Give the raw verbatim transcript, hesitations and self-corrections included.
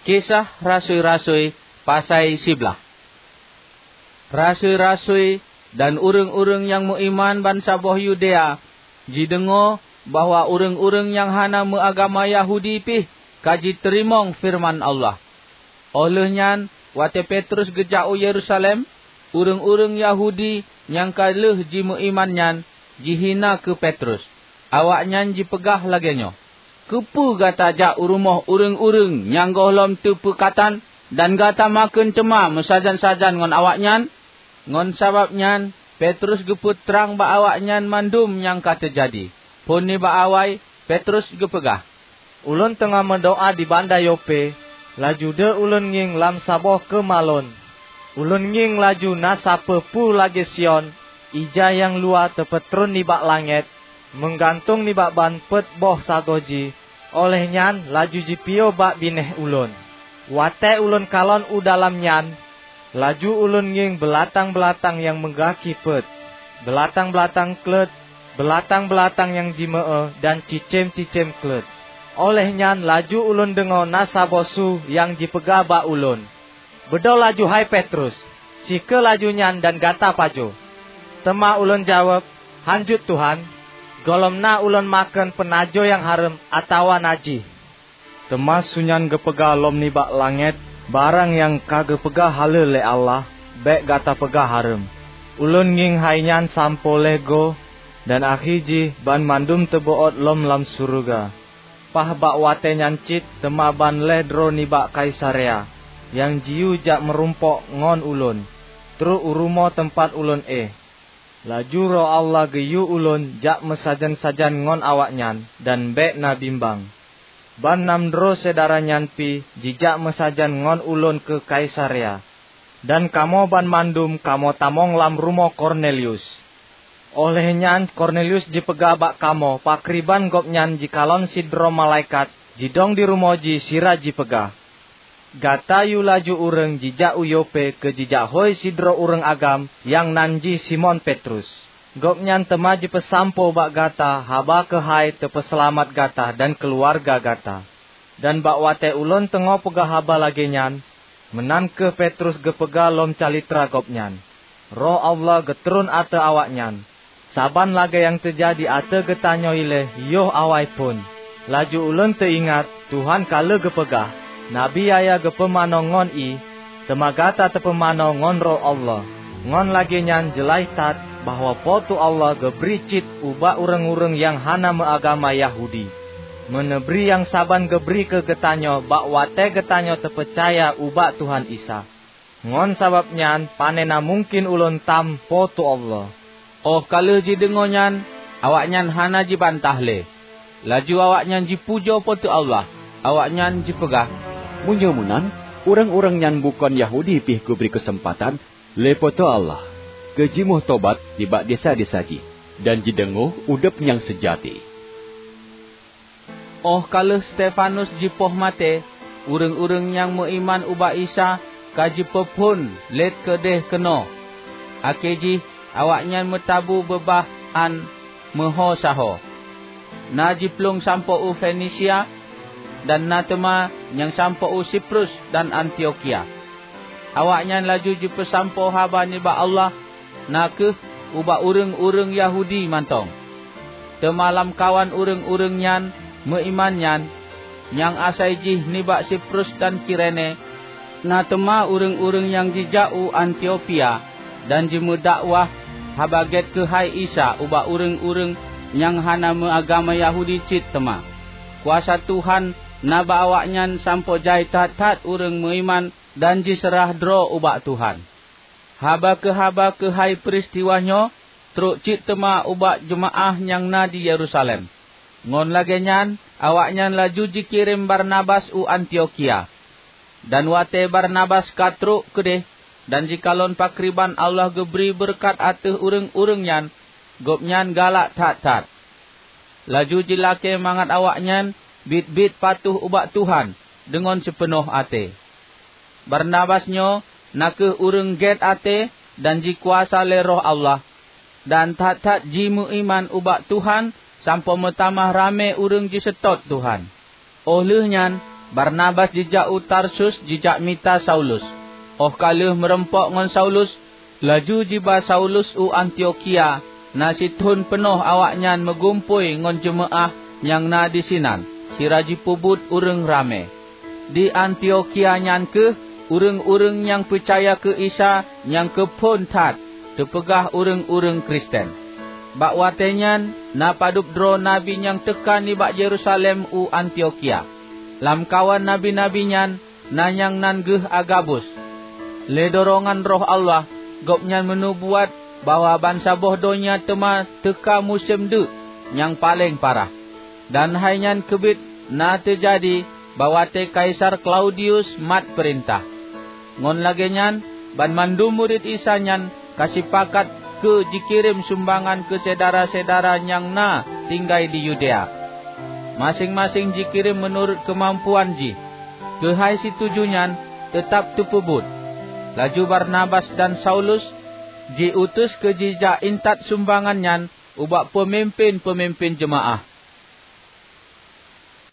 Kisah Rasui-rasui pasai siblaih. Rasui-rasui dan ureuëng-ureuëng nyang meuiman bansaboh Yudea jideungoe bahwa ureuëng-ureuëng nyang hana meuagama Yahudi pih ka jiteurimong feureuman Allah. Óh lheueh nyan, watée Petrus geujak u Yerusalem, ureuëng-ureuëng Yahudi nyang ka lheueh jimeuiman nyan jihina keu Petrus. Awaknyan jipeugah lagée nyoe, "Keupeue gata jak u rumoh ureuëng-ureuëng nyang gohlom teupeukatan dan gata makheun teuma meusajan-sajan ngon awaknyan?" Ngon sabab nyan, Petrus geupeutrang bak awaknyan mandum nyang ka teujadi. Phon nibak awai, Petrus geupeugah, "Ulôn teungoh meudoá di banda Yope, laju deuh ulôn ngieng lam saboh keumalon. Ulôn ngieng laju na sapeue peue lagée siôn, ija nyang luwa teupeutron nibak langét, meugantung nibak ban peuet boh sagoe jih, óh lheueh nyan laju jipiôh bak binéh ulôn. Watée ulôn kalon u dalam nyan, laju ulôn ngieng beulatang-beulatang nyang meugaki peuet, beulatang-beulatang kleuet, beulatang-beulatang nyang jimeu-eu dan cicém-cicém kleuet. Óh lheueh nyan laju ulôn deungoe na saboh su nyang jipeugah bak ulôn, 'Beudôh laju hai Petrus, sikeue laju nyan dan gata pajoh.' Teuma ulôn jaweueb, 'Hán jeuet, Tuhan, gohlom na ulôn makheun peunajoh nyang hareuem atawa najih.' Teuma su nyan geupeugah lom nibak langét, 'Barang nyang ka geupeugah haleue lé Allah, bék gata peugah hareuem.' Ulôn ngieng hai nyan sampoe lhée goe, dan akhé jih banmandum teubeuôt lom lam syeuruga. Paih bak watée nyan cit teuma ban lhée droe nibak Kaisarea nyang jiyue jak meurumpok ngon ulôn, trok u rumoh teumpat ulôn éh. Laju Roh Allah geuyue ulôn jak meusajan-sajan ngon awaknyan dan bék na bimbang. Ban nam droe syedara nyan pih jijak meusajan ngon ulôn keu Kaisarea, dan kamoe banmandum kamoe tamong lam rumoh Kornelius. Óh lheueh nyan Kornelius jipeugah bak kamoe pakriban gobnyan jikalon sidroe malaikat jidong di rumoh jih sira jipeugah, 'Gata yue laju ureuëng jijak u Yope keu jijak hôi sidroe ureuëng agam nyang nan jih Simon Petrus. Gobnyan teuma jipeusampoe bak gata haba keuhai teupeuseulamat gata dan keuluwarga gata.' Dan bak watée ulôn teungoh peugah haba lagée nyan, meunan kheueh Petrus geupeugah lom calitra gobnyan. Roh Allah geutron ateueh awaknyan, saban lagée nyang teujadi ateueh geutanyoe ilée yoh awai phon. Laju ulôn teuingat Tuhan ka lheueh geupeugah, 'Nabi Yahya geupumanö ngon ié, teuma gata teupumanö ngon Roh Allah.' Ngon lagée nyan jeulaih that bahwa Po teu Allah geubri cit ubak ureuëng-ureuëng nyang hana meuagama Yahudi, meuneubri nyang saban geubri keu geutanyoe bak watée geutanyoe teupeucaya ubak Tuhan Isa. Ngon sabab nyan panena mungken ulôn tam Po teu Allah." Óh ka lheueh jideungoe nyan, awaknyan hana jibantah lé. Laju awaknyan jipujoe Po teu Allah. Awaknyan jipeugah, "Meunyoe meunan, ureuëng-ureuëng nyang bukon Yahudi pih geubri keuseumpatan lé Po teu Allah keu jimeutobat nibak desya-desya jih, dan jideungoe udeb nyang seujati." Óh ka lheueh Stefanus jipoh maté, ureuëng-ureuëng nyang meuiman ubak Isa ka jipeuphon lét keudeh keunoe. Akhé jih, awaknyan meutabu beubah án meuho saho. Na jiplueng sampoe u Fenisia, dan na teuma nyang sampoe u Siprus dan Antiokhia. Awaknyan laju jipeusampoe haba nibak Allah, na kheueh ubak ureuëng-ureuëng Yahudi mantong. Teuma lamkawan ureuëng-ureuëng nyang meuiman nyan, nyang asai jih nibak Siprus dan Kirene, na teuma ureuëng-ureuëng nyang jijak u Antiokhia dan jimeudakwah Haba Gét keuhai Isa ubak ureuëng-ureuëng nyang hana meuagama Yahudi cit teuma. Kuasa Tuhan na bak awaknyan sampoe jai that-that ureuëng meuiman dan jiseurah droe ubak Tuhan. Haba keu haba keuhai peuristiwa nyoe trok cit teuma ubak jeumaáh nyang na di Yerusalem. Ngon lagée nyan, awaknyan laju jikirém Barnabas u Antiokhia. Dan watée Barnabas ka trok keudeh dan jikalon pakriban Allah geubri beureukat ateueh ureuëng-ureuëng nyan, gobnyan galak that-that. Laju jilakée mangat awaknyan biet-biet patuh ubak Tuhan deungon sipeunoh até. Barnabas nyoe na kheueh ureuëng gét até dan jikuasa lé Roh Allah, dan that-that jimeuiman ubak Tuhan sampoe meutamah ramé ureuëng jiseutôt Tuhan. Óh lheueh nyan, Barnabas jijak u Tarsus jijak mita Saulus. Óh ka lheueh meurumpok ngon Saulus, laju jiba Saulus u Antiokhia. Na sithon peunoh awaknyan meugumpôi ngon jeumeu'ah nyang na disinan, sira jipeubuet ureuëng ramé. Di Antiokhia nyan kheueh ureuëng-ureuëng nyang peucaya keu Isa nyang keuphon that teupeugah ureuëng-ureuëng Kristen. Bak watée nyan na padub droe nabi nyang teuka nibak Yerusalem u Antiokhia. Lamkawan nabi-nabi nyan na nyang nan geuh Agabus. Lé dorongan Roh Allah, gobnyan meunubuat bahwa bansaboh donya teuma teuka musém deuk nyang paleng parah. Dan hai nyan keubiet na teujadi bak watée Kaisar Klaudius mat peurintah. Ngon lagée nyan, banmandum murit Isa nyan ka sipakat keu jikirém sumbangan keu syedara-syedara nyang na tinggai di Yudea. Maséng-maséng jikirém meunurot keumampuan jih. Keuhai situju nyan teutab teupeubuet. Laju Barnabas dan Saulus jiutus keu jijak intat sumbangan nyan ubak peumimpén-peumimpén jeumaáh.